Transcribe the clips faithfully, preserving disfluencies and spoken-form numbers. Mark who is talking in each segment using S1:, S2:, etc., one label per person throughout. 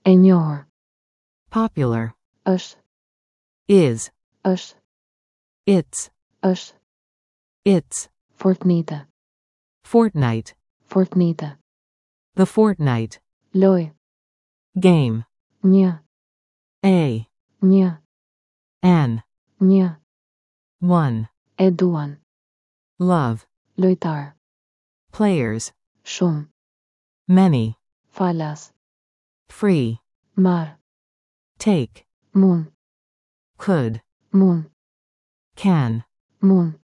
S1: E njohur.
S2: Popular.
S1: Është.
S2: Is.
S1: Është.
S2: It's.
S1: Është.
S2: It's.
S1: Fortnite.
S2: Fortnite.
S1: Fortnite.
S2: The fortnight.
S1: Lojë.
S2: Game.
S1: Një.
S2: A.
S1: Një.
S2: An.
S1: Një.
S2: One.
S1: E duan.
S2: Love.
S1: Lojtar.
S2: Players.
S1: Shumë.
S2: Many.
S1: Falas.
S2: Free.
S1: Marr.
S2: Take.
S1: Mund.
S2: Could.
S1: Mund.
S2: Can.
S1: Mund.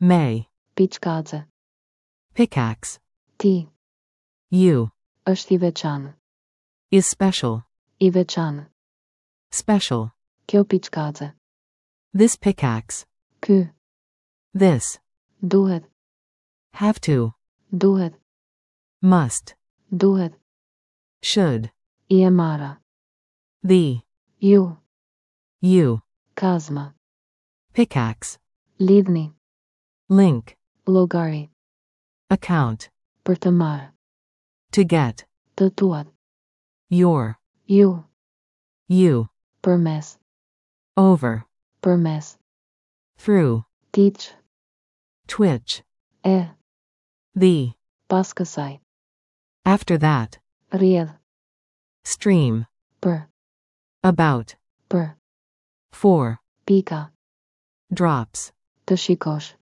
S2: May.
S1: Piçkaze.
S2: Pickaxe.
S1: Ti.
S2: You.
S1: Është i veçantë.
S2: Is special.
S1: I veçantë.
S2: Special.
S1: Kjo piçkaze.
S2: This pickaxe.
S1: Ky.
S2: This.
S1: Duhet.
S2: Have to.
S1: Duhet.
S2: Must.
S1: Duhet.
S2: Should.
S1: I e marra.
S2: The.
S1: Ju.
S2: You.
S1: Kazma.
S2: Pickaxe.
S1: Lidhni.
S2: Link.
S1: Llogari.
S2: Account.
S1: Për të marrë.
S2: To get.
S1: Të tuat.
S2: Your.
S1: Ju.
S2: You.
S1: Përmes.
S2: Over.
S1: Përmes.
S2: Through.
S1: Twitch.
S2: Twitch.
S1: E.
S2: The.
S1: Pas kësaj.
S2: After that.
S1: Rrjedh.
S2: Stream.
S1: Për.
S2: About.
S1: Për.
S2: For.
S1: Pika.
S2: Drops.
S1: Të shikosh.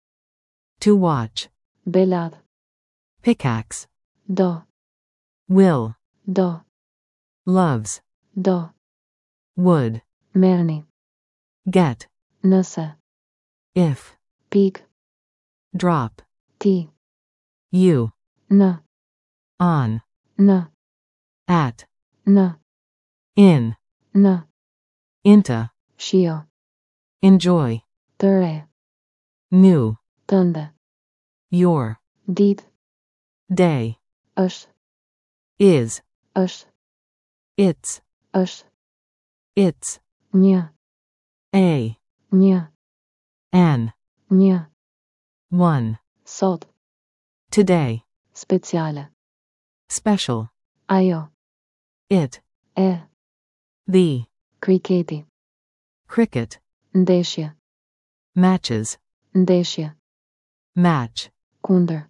S2: To watch.
S1: Belat.
S2: Pickaxe.
S1: Do.
S2: Will.
S1: Do.
S2: Loves.
S1: Do.
S2: Would.
S1: Merrni.
S2: Get.
S1: Nëse.
S2: If.
S1: Pik.
S2: Drop.
S1: Ti.
S2: You.
S1: Në.
S2: On.
S1: Në.
S2: At.
S1: Në.
S2: In.
S1: Në.
S2: Into.
S1: Shijo.
S2: Enjoy.
S1: Të re.
S2: New.
S1: Tënde.
S2: Your.
S1: Ditë.
S2: Day.
S1: Është.
S2: Is.
S1: Është.
S2: It's.
S1: Është.
S2: It's.
S1: Një.
S2: A.
S1: Një.
S2: An.
S1: Një.
S2: One.
S1: Sot.
S2: Today.
S1: Speciale.
S2: Special.
S1: Ajo.
S2: It.
S1: E.
S2: The.
S1: Kriketi.
S2: Cricket.
S1: Ndeshje.
S2: Matches.
S1: Ndeshje.
S2: Match.
S1: Kundër.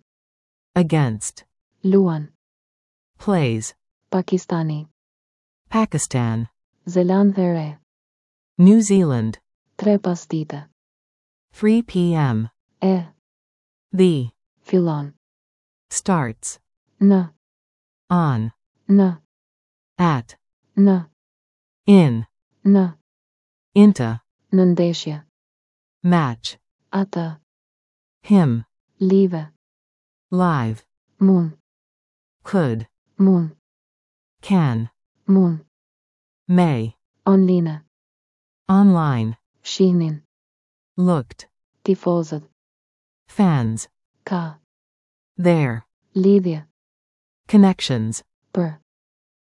S2: Against.
S1: Luan.
S2: Plays.
S1: Pakistani.
S2: Pakistan.
S1: Zelandë e Re.
S2: New Zealand.
S1: Tre pasdite.
S2: three p m.
S1: E.
S2: The.
S1: Fillon.
S2: Starts.
S1: Në.
S2: On.
S1: Në.
S2: At.
S1: Në.
S2: In.
S1: Në.
S2: Into.
S1: Në ndeshje.
S2: Match.
S1: Atë.
S2: Him.
S1: Live.
S2: Live.
S1: Mund.
S2: Could.
S1: Mund.
S2: Can.
S1: Mund.
S2: May.
S1: Online.
S2: Online.
S1: Shihnin.
S2: Looked.
S1: Tifozët.
S2: Fans.
S1: Ka.
S2: There.
S1: Lidhje.
S2: Connections.
S1: Për.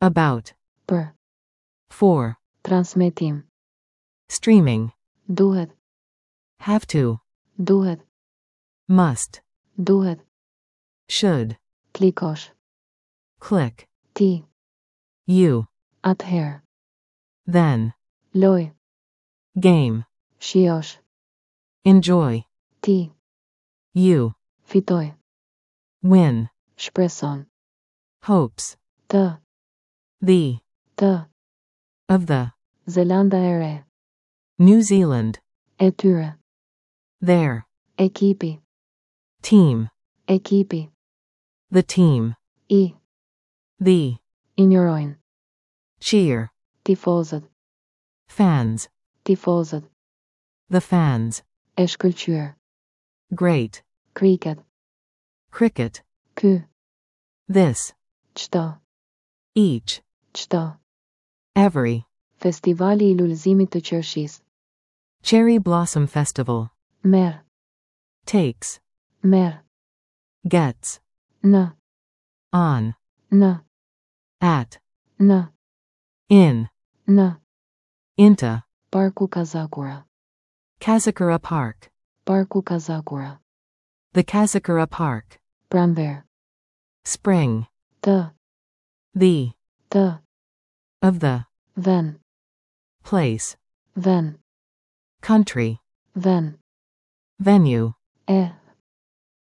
S2: About.
S1: Për.
S2: For.
S1: Transmetim.
S2: Streaming.
S1: Duhet.
S2: Have to.
S1: Duhet.
S2: Must.
S1: Duhet.
S2: Should.
S1: Klikosh.
S2: Click.
S1: Ti.
S2: You.
S1: Atëherë.
S2: Then.
S1: Lojë.
S2: Game.
S1: Shijosh.
S2: Enjoy.
S1: Ti.
S2: You.
S1: Fitoj.
S2: Win.
S1: Shpreson.
S2: Hopes.
S1: Të.
S2: The.
S1: Të.
S2: Of the.
S1: Zelanda e Re.
S2: New Zealand.
S1: E tyre.
S2: Their.
S1: Ekipi.
S2: Team.
S1: Ekipi.
S2: The team.
S1: I.
S2: The.
S1: Injorojnë.
S2: Cheer.
S1: Tifozët.
S2: Fans.
S1: Tifozët.
S2: The fans.
S1: E shkëlqyer.
S2: Great.
S1: Kriket.
S2: Cricket.
S1: Ky.
S2: This.
S1: Çdo.
S2: Each.
S1: Çdo.
S2: Every.
S1: Festivali i lulëzimit të qershisë.
S2: Cherry Blossom Festival.
S1: Merr.
S2: Takes.
S1: Merr.
S2: Gets.
S1: Në.
S2: On.
S1: Në.
S2: At.
S1: Në.
S2: In.
S1: Në.
S2: Into.
S1: Parku Kazakura.
S2: Kazakura Park.
S1: Parku Kazakura.
S2: The Kazakura Park.
S1: Pranverë.
S2: Spring.
S1: Të.
S2: The.
S1: Të.
S2: Of the.
S1: Ven.
S2: Place.
S1: Ven.
S2: Country.
S1: Ven.
S2: Venue.
S1: E.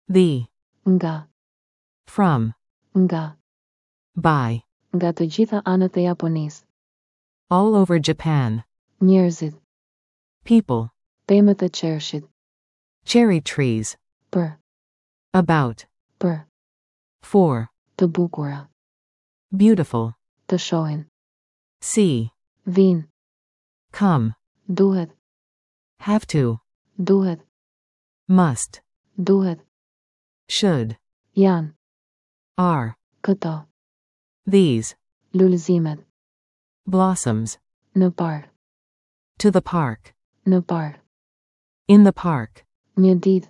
S2: The.
S1: Nga.
S2: From.
S1: Nga.
S2: By.
S1: Nga të gjitha anët e Japonisë.
S2: All over Japan.
S1: Njerëzit.
S2: People.
S1: Pemët e qershit.
S2: Cherry trees.
S1: Për.
S2: About.
S1: Për.
S2: For.
S1: Të bukura.
S2: Beautiful.
S1: Të shohin.
S2: See.
S1: Vin.
S2: Come.
S1: Duhet.
S2: Have to.
S1: Duhet.
S2: Must.
S1: Duhet.
S2: Should.
S1: Janë.
S2: Are.
S1: Këto.
S2: These.
S1: Lulëzimet.
S2: Blossoms.
S1: Në park.
S2: To the park.
S1: Në park.
S2: In the park.
S1: Një ditë.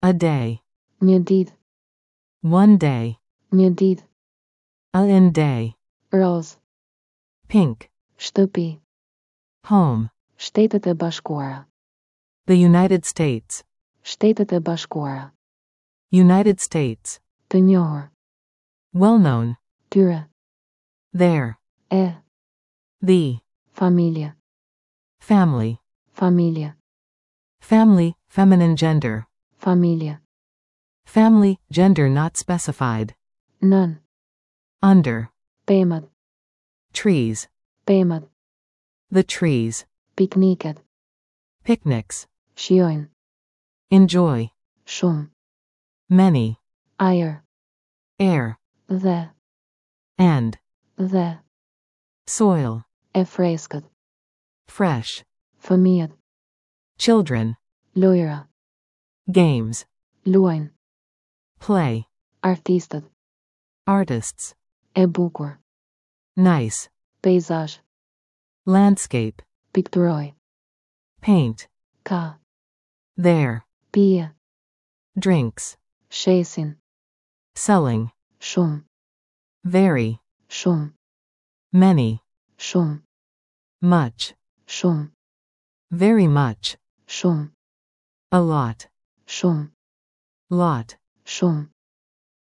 S2: A day.
S1: Një ditë.
S2: One day.
S1: Një ditë.
S2: A in day.
S1: Roz.
S2: Pink.
S1: Shtëpi.
S2: Home.
S1: Shtetet e Bashkuara.
S2: The United States.
S1: Shtetet e Bashkuara.
S2: United States.
S1: Të njohur.
S2: Well known.
S1: Tyre.
S2: There.
S1: E.
S2: The.
S1: Familje.
S2: Family.
S1: Familje.
S2: Family, feminine gender.
S1: Familje.
S2: Family, gender not specified.
S1: Nën.
S2: Under.
S1: Pemët.
S2: Trees.
S1: Pemët.
S2: The trees.
S1: Pikniket.
S2: Picnics.
S1: Shijojnë.
S2: Enjoy.
S1: Shumë.
S2: Many.
S1: Ajër.
S2: Air.
S1: Dhe.
S2: And.
S1: Dhe.
S2: Soil.
S1: E freskët.
S2: Fresh.
S1: Fëmijët.
S2: Children.
S1: Lojra.
S2: Games.
S1: Luajnë.
S2: Play.
S1: Artistët.
S2: Artists.
S1: E bukur.
S2: Nice.
S1: Peizazh.
S2: Landscape.
S1: Pikturoj.
S2: Paint.
S1: Ka.
S2: There.
S1: Pije.
S2: Drinks.
S1: Shesin.
S2: Selling.
S1: Shumë.
S2: Very.
S1: Shumë.
S2: Many.
S1: Shumë.
S2: Much.
S1: Shumë.
S2: Very much.
S1: Shumë.
S2: A lot.
S1: Shumë.
S2: Lot.
S1: Shumë.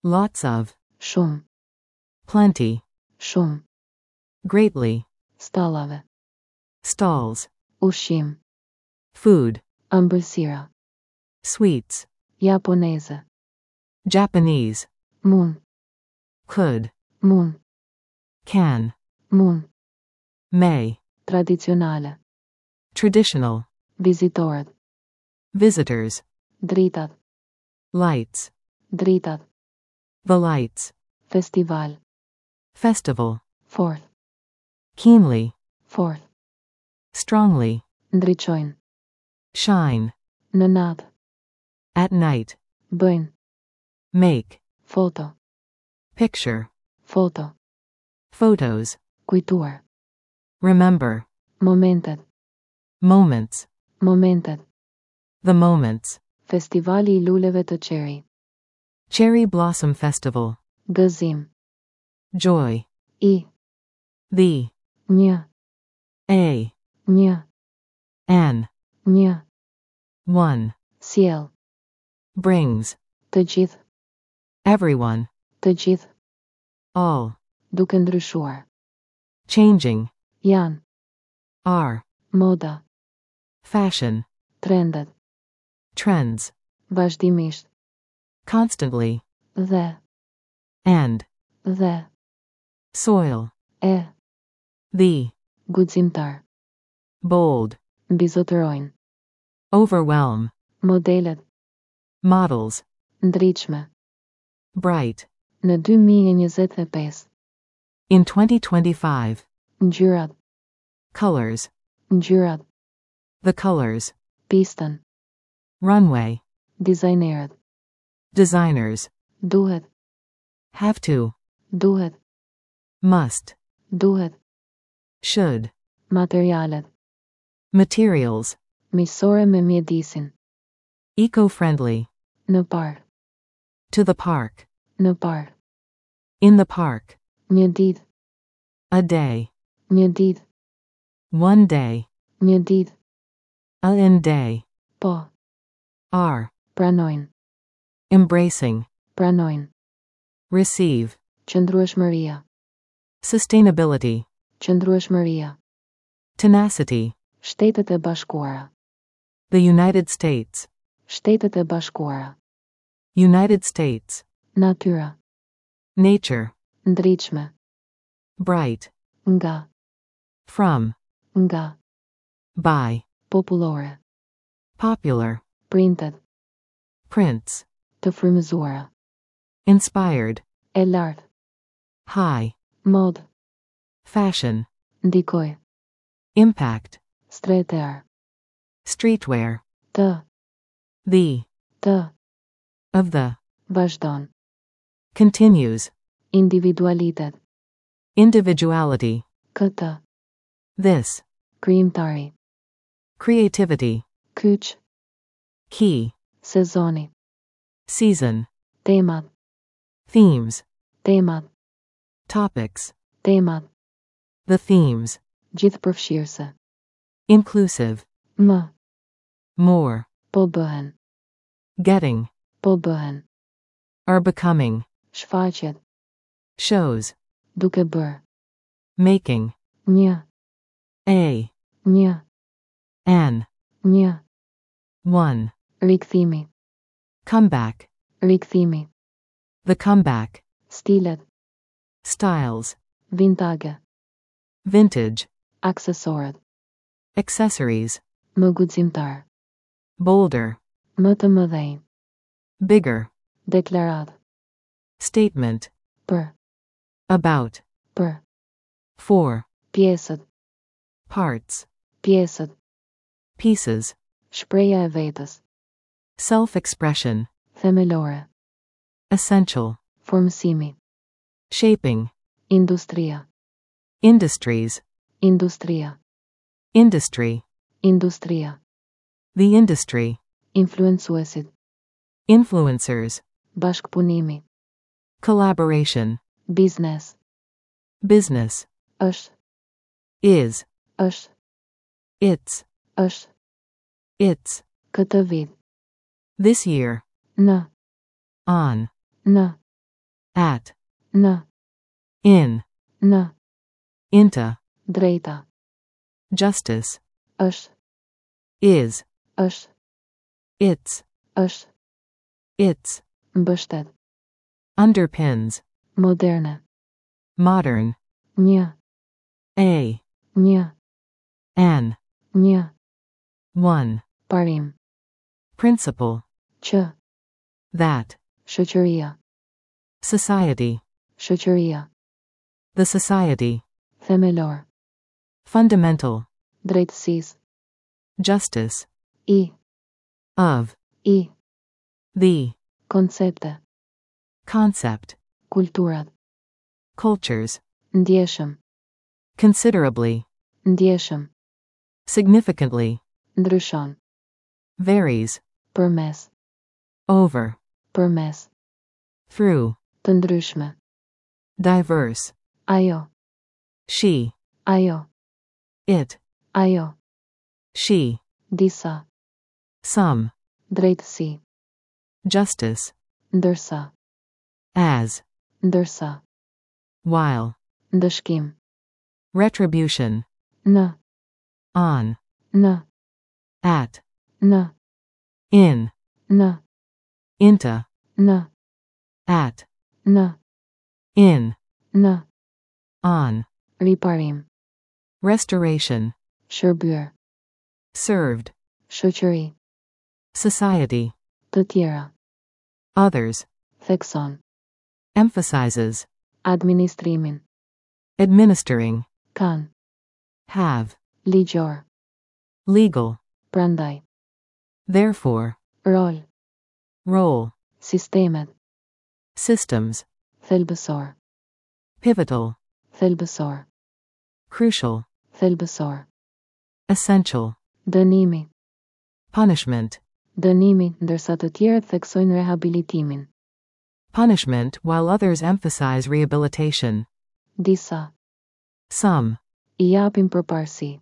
S2: Lots of.
S1: Shumë.
S2: Plenty.
S1: Shumë.
S2: Greatly.
S1: Stallave.
S2: Stalls.
S1: Ushqim.
S2: Food.
S1: Ëmbëlsira.
S2: Sweets.
S1: Japoneze.
S2: Japanese.
S1: Mund.
S2: Could.
S1: Mund.
S2: Can.
S1: Mund.
S2: May.
S1: Tradicionale.
S2: Traditional.
S1: Vizitorët.
S2: Visitors.
S1: Dritat.
S2: Lights.
S1: Dritat.
S2: The lights.
S1: Festival.
S2: Festival.
S1: Fort.
S2: Keenly.
S1: Fort.
S2: Strongly.
S1: Ndriçojnë.
S2: Shine.
S1: Në natë.
S2: At night.
S1: Bëjnë.
S2: Make.
S1: Foto.
S2: Picture.
S1: Foto.
S2: Photos.
S1: Kujtuar.
S2: Remember.
S1: Momentet.
S2: Moments.
S1: Momentet.
S2: The moments.
S1: Festivali i luleve të cherry.
S2: Cherry Blossom Festival.
S1: Gëzim.
S2: Joy.
S1: I.
S2: The.
S1: Një.
S2: A.
S1: Një.
S2: An.
S1: Një.
S2: One.
S1: Sjell.
S2: Brings.
S1: Të gjithë.
S2: Everyone.
S1: Të gjithë.
S2: All.
S1: Duke ndryshuar.
S2: Changing.
S1: Janë.
S2: Are.
S1: Moda.
S2: Fashion.
S1: Trendet.
S2: Trends.
S1: Vazhdimisht.
S2: Constantly.
S1: Dhe.
S2: And.
S1: Dhe.
S2: Soil.
S1: E.
S2: The.
S1: Guximtar.
S2: Bold.
S1: Mbizotërojnë.
S2: Overwhelm.
S1: Modelet.
S2: Models.
S1: Ndritshme.
S2: Bright.
S1: Në dy mijë e njëzet e pesë.
S2: In twenty twenty-five.
S1: Ngjyrat.
S2: Colors.
S1: Ngjyrat.
S2: The colors.
S1: Pistën.
S2: Runway.
S1: Dizajnerët.
S2: Designers.
S1: Duhet.
S2: Have to.
S1: Duhet.
S2: Must.
S1: Duhet.
S2: Should.
S1: Materialet.
S2: Materials.
S1: Miqësore me mjedisin.
S2: Eco-friendly.
S1: Në park.
S2: To the park.
S1: Në park.
S2: In the park.
S1: Një ditë.
S2: A day.
S1: Një ditë.
S2: One day.
S1: Një ditë.
S2: A in day.
S1: Po.
S2: Are.
S1: Pranojnë.
S2: Embracing.
S1: Pranojnë.
S2: Receive.
S1: Qëndrueshmëria.
S2: Sustainability.
S1: Qëndrueshmëria.
S2: Tenacity.
S1: Shtetet e Bashkuara.
S2: The United States.
S1: Shtetet e Bashkuara.
S2: United States.
S1: Natyra.
S2: Nature.
S1: Ndritshme.
S2: Bright.
S1: Nga.
S2: From.
S1: Nga.
S2: By.
S1: Popullore.
S2: Popular.
S1: Printet.
S2: Prints.
S1: Të frymëzuara.
S2: Inspired.
S1: E lartë.
S2: High.
S1: Mod.
S2: Fashion.
S1: Ndikoj.
S2: Impact.
S1: Streetwear.
S2: Streetwear.
S1: Të.
S2: The.
S1: Të.
S2: Of the.
S1: Vazhdon.
S2: Continues.
S1: Individualitet.
S2: Individuality.
S1: Këtë.
S2: This.
S1: Krijimtari.
S2: Creativity.
S1: Kyç.
S2: Key.
S1: Sezoni.
S2: Season.
S1: Temat.
S2: Themes.
S1: Temat.
S2: Topics.
S1: Temat.
S2: The themes.
S1: Gjithëpërfshirëse.
S2: Inclusive.
S1: Më.
S2: More.
S1: Po bëhen.
S2: Getting.
S1: Po bëhen.
S2: Are becoming.
S1: Shfaqjet.
S2: Shows.
S1: Duke bërë.
S2: Making.
S1: Një.
S2: A.
S1: Një.
S2: An.
S1: Një.
S2: One.
S1: Rikthimi.
S2: Comeback.
S1: Rikthimi.
S2: The comeback.
S1: Stilet.
S2: Styles.
S1: Vintage.
S2: Vintage.
S1: Aksesorët.
S2: Accessories.
S1: Më guximtar.
S2: Bolder.
S1: Më të mëdhenj.
S2: Bigger.
S1: Deklarat.
S2: Statement.
S1: Për.
S2: About.
S1: Për.
S2: For.
S1: Pjesët.
S2: Parts.
S1: Pjesët.
S2: Pieces.
S1: Shprehja e vetës.
S2: Self-expression.
S1: Themelore.
S2: Essential.
S1: Formësimi.
S2: Shaping.
S1: Industria.
S2: Industries.
S1: Industria.
S2: Industry.
S1: Industria.
S2: The industry.
S1: Influencuesit.
S2: Influencers.
S1: Bashkëpunimi.
S2: Collaboration.
S1: Biznes.
S2: Business.
S1: Është.
S2: Is.
S1: Është.
S2: It's.
S1: Është.
S2: It's.
S1: Këtë vit.
S2: This year.
S1: Në.
S2: On.
S1: Në.
S2: At.
S1: Në.
S2: In.
S1: Në.
S2: Into.
S1: Drejta.
S2: Justice.
S1: Është.
S2: Is.
S1: Është.
S2: It's.
S1: Është.
S2: It's.
S1: Mbështet.
S2: Underpins.
S1: Moderne.
S2: Modern.
S1: Një.
S2: A.
S1: Një.
S2: An.
S1: Një.
S2: One.
S1: Parim.
S2: Principle.
S1: Që.
S2: That.
S1: Shoqëria.
S2: Society.
S1: Shoqëria.
S2: The society.
S1: Themelor.
S2: Fundamental.
S1: Drejtësisë.
S2: Justice.
S1: I.
S2: Of.
S1: I.
S2: The.
S1: Koncepte.
S2: Concept.
S1: Kulturat.
S2: Cultures.
S1: Ndjeshëm.
S2: Considerably.
S1: Ndjeshëm.
S2: Significantly.
S1: Ndryshon.
S2: Varies.
S1: Përmes.
S2: Over.
S1: Përmes.
S2: Through.
S1: Të ndryshme.
S2: Diverse.
S1: Ajo.
S2: She.
S1: Ajo.
S2: It.
S1: Ajo.
S2: She.
S1: Disa.
S2: Some.
S1: Drejtësi.
S2: Justice.
S1: Ndërsa.
S2: As.
S1: Ndërsa.
S2: While.
S1: Ndëshkim.
S2: Retribution.
S1: Në.
S2: On.
S1: Në.
S2: At.
S1: Në.
S2: In.
S1: Në.
S2: Into.
S1: Në.
S2: At.
S1: Në.
S2: In.
S1: Në.
S2: On.
S1: Riparim.
S2: Restoration.
S1: Shërbyer.
S2: Served.
S1: Shoqëri.
S2: Society.
S1: Të tjera.
S2: Others.
S1: Thekson.
S2: Emphasizes.
S1: Administrimin.
S2: Administering.
S1: Kan.
S2: Have.
S1: Ligjor.
S2: Legal.
S1: Prandaj.
S2: Therefore.
S1: Rol.
S2: Role.
S1: Sistemet.
S2: Systems.
S1: Thelbësor.
S2: Pivotal.
S1: Thelbësor.
S2: Crucial.
S1: Thelbësor.
S2: Essential.
S1: Dënimi.
S2: Punishment.
S1: Dënimi, ndërsa të tjerët theksojnë rehabilitimin.
S2: Punishment while others emphasize rehabilitation.
S1: Disa.
S2: Some.
S1: I japin përparësi.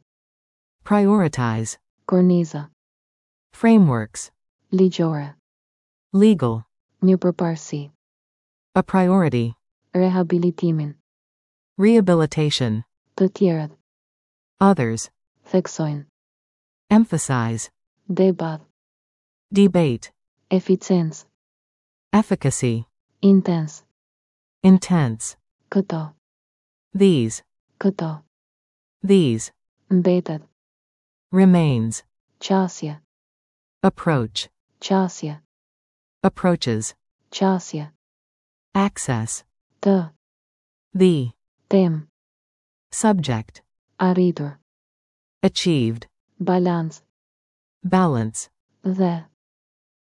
S2: Prioritize.
S1: Korniza.
S2: Frameworks.
S1: Ligjore.
S2: Legal.
S1: Një përparësi.
S2: A priority.
S1: Rehabilitimin.
S2: Rehabilitation.
S1: Të tjerët.
S2: Others.
S1: Theksojnë.
S2: Emphasize.
S1: Debat.
S2: Debate.
S1: Eficiencë.
S2: Efficacy.
S1: Intens.
S2: Intense.
S1: Këto.
S2: These.
S1: Këto.
S2: These.
S1: Mbetet.
S2: Remains.
S1: Qasje.
S2: Approach.
S1: Qasje.
S2: Approaches.
S1: Qasje.
S2: Access.
S1: Të.
S2: The.
S1: Temë.
S2: Subject.
S1: Arritur.
S2: Achieved.
S1: Balans.
S2: Balance.
S1: Dhe.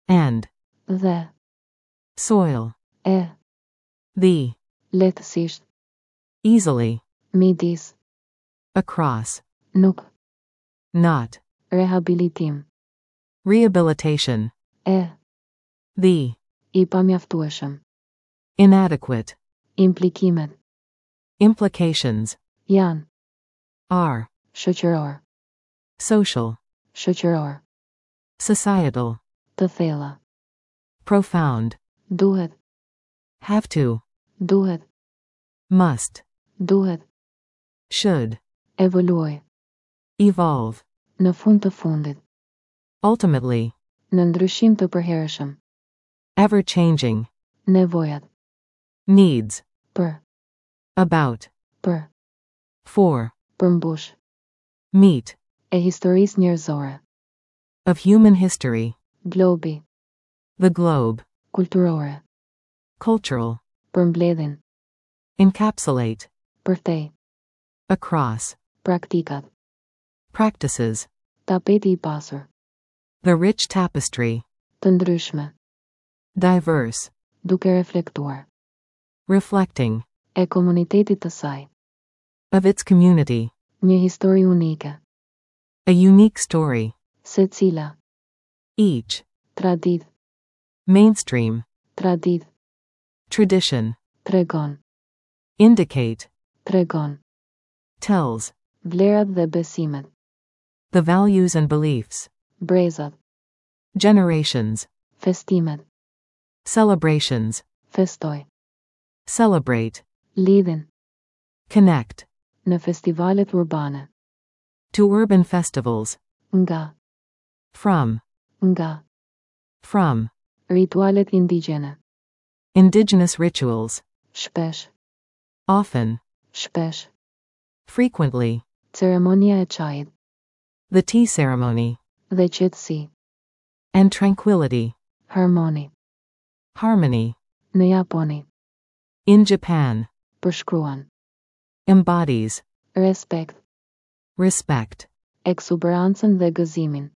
S2: And.
S1: Dhe.
S2: Soil.
S1: E.
S2: The.
S1: Lehtësisht.
S2: Easily.
S1: Midis.
S2: Across.
S1: Nuk.
S2: Not.
S1: Rehabilitim.
S2: Rehabilitation.
S1: E.
S2: The.
S1: I pamjaftueshëm.
S2: Inadequate.
S1: Implikimet.
S2: Implications.
S1: Janë.
S2: Are.
S1: Shoqëror.
S2: Social.
S1: Shoqëror.
S2: Societal.
S1: Të thella.
S2: Profound.
S1: Duhet.
S2: Have to.
S1: Duhet.
S2: Must.
S1: Duhet.
S2: Should.
S1: Evoluoj.
S2: Evolve.
S1: Në fund të fundit.
S2: Ultimately.
S1: Në ndryshim të përhershëm.
S2: Ever changing.
S1: Nevojat.
S2: Needs.
S1: Për.
S2: About.
S1: Për.
S2: For.
S1: Përmbush.
S2: Meet.
S1: E historisë njerëzore.
S2: Of human history.
S1: Globi.
S2: The globe.
S1: Kulturore.
S2: Cultural.
S1: Përmbledhin.
S2: Encapsulate.
S1: Përtej.
S2: Across.
S1: Praktikat.
S2: Practices.
S1: Tapeti i pasur.
S2: The rich tapestry.
S1: Të ndryshme.
S2: Diverse.
S1: Duke reflektuar.
S2: Reflecting.
S1: E komunitetit të saj.
S2: Of its community.
S1: Një histori unike.
S2: A unique story.
S1: Secila.
S2: Each.
S1: Traditë.
S2: Mainstream.
S1: Traditë.
S2: Tradition.
S1: Tregon.
S2: Indicate.
S1: Tregon.
S2: Tells.
S1: Vlerat dhe besimet.
S2: The values and beliefs.
S1: Brezat.
S2: Generations.
S1: Festimet.
S2: Celebrations.
S1: Festoj.
S2: Celebrate.
S1: Lidhin.
S2: Connect.
S1: Në festivalet urbane.
S2: To urban festivals.
S1: Nga.
S2: From.
S1: Nga.
S2: From.
S1: Ritualet indigjene.
S2: Indigenous rituals.
S1: Shpesh.
S2: Often.
S1: Shpesh.
S2: Frequently.
S1: Ceremonia e çajit.
S2: The tea ceremony.
S1: Dhe qetësi.
S2: And tranquility.
S1: Harmoni.
S2: Harmony.
S1: Në Japoni.
S2: In Japan.
S1: Përshkruan.
S2: Embodies.
S1: Respekt.
S2: Respect.
S1: Ekzuberancën dhe gëzimin.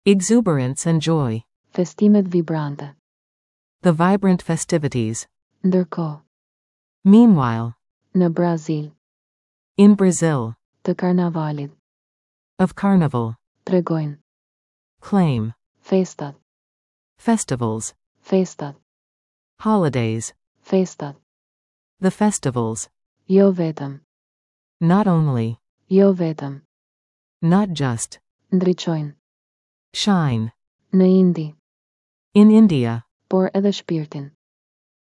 S2: Exuberance and joy.
S1: Festimet vibrante.
S2: The vibrant festivities.
S1: Ndërkohë.
S2: Meanwhile.
S1: Në Brazil.
S2: In Brazil.
S1: Të karnavalit.
S2: Of carnival.
S1: Tregojnë.
S2: Claim.
S1: Festat.
S2: Festivals.
S1: Festat.
S2: Holidays.
S1: Festat.
S2: The festivals.
S1: Jo vetëm.
S2: Not only.
S1: Jo vetëm.
S2: Not just.
S1: Ndriçojnë.
S2: Shine.
S1: Në Indi.
S2: In India.
S1: Por edhe shpirtin.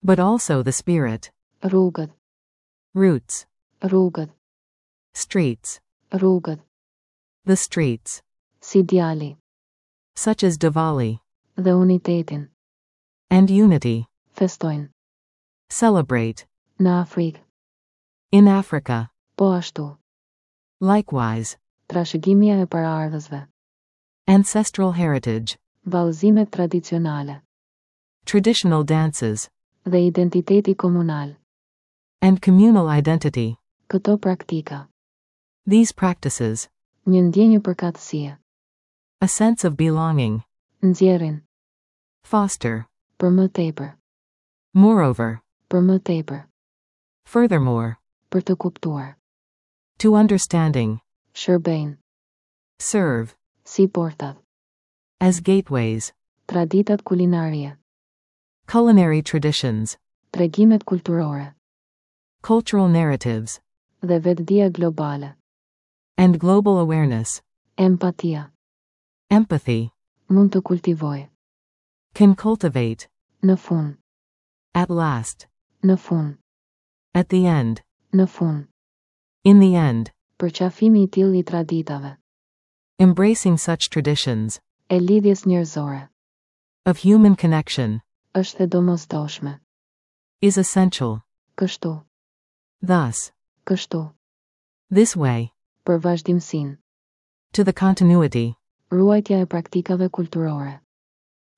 S2: But also the spirit.
S1: Rrugët.
S2: Routes.
S1: Rrugët.
S2: Streets.
S1: Rrugët.
S2: The streets.
S1: Si Diwali.
S2: Such as Diwali.
S1: Dhe unitetin.
S2: And unity.
S1: Festojnë.
S2: Celebrate.
S1: Në Afrikë.
S2: In Africa.
S1: Po ashtu.
S2: Likewise.
S1: Trashëgimia e paraardhësve.
S2: Ancestral heritage.
S1: Vallëzimet tradicionale.
S2: Traditional dances.
S1: Dhe identiteti komunal.
S2: And communal identity.
S1: Këto praktika.
S2: These practices.
S1: Një ndjenjë përkatësie.
S2: A sense of belonging.
S1: Nxjerrin.
S2: Foster.
S1: Për më tepër.
S2: Moreover.
S1: Për më tepër.
S2: Furthermore.
S1: Për të kuptuar.
S2: To understanding.
S1: Shërbejnë.
S2: Serve.
S1: Si portat.
S2: As gateways.
S1: Traditat kulinarie.
S2: Culinary traditions.
S1: Tregimet kulturore.
S2: Cultural narratives.
S1: Dhe vetëdija globale.
S2: And global awareness.
S1: Empatia.
S2: Empathy.
S1: Mund të kultivojë.
S2: Can cultivate.
S1: Në fund.
S2: At last.
S1: Në fund.
S2: At the end.
S1: Në fund.
S2: In the end.
S1: Përqafimi i tillë i traditave.
S2: Embracing such traditions.
S1: E lidhjes njerëzore.
S2: Of human connection.
S1: Është e domosdoshme.
S2: Is essential.
S1: Kështu.
S2: Thus.
S1: Kështu.
S2: This way.
S1: Për vazhdimësinë.
S2: To the continuity.
S1: Ruajtja e praktikave kulturore.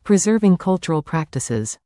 S2: Preserving cultural practices.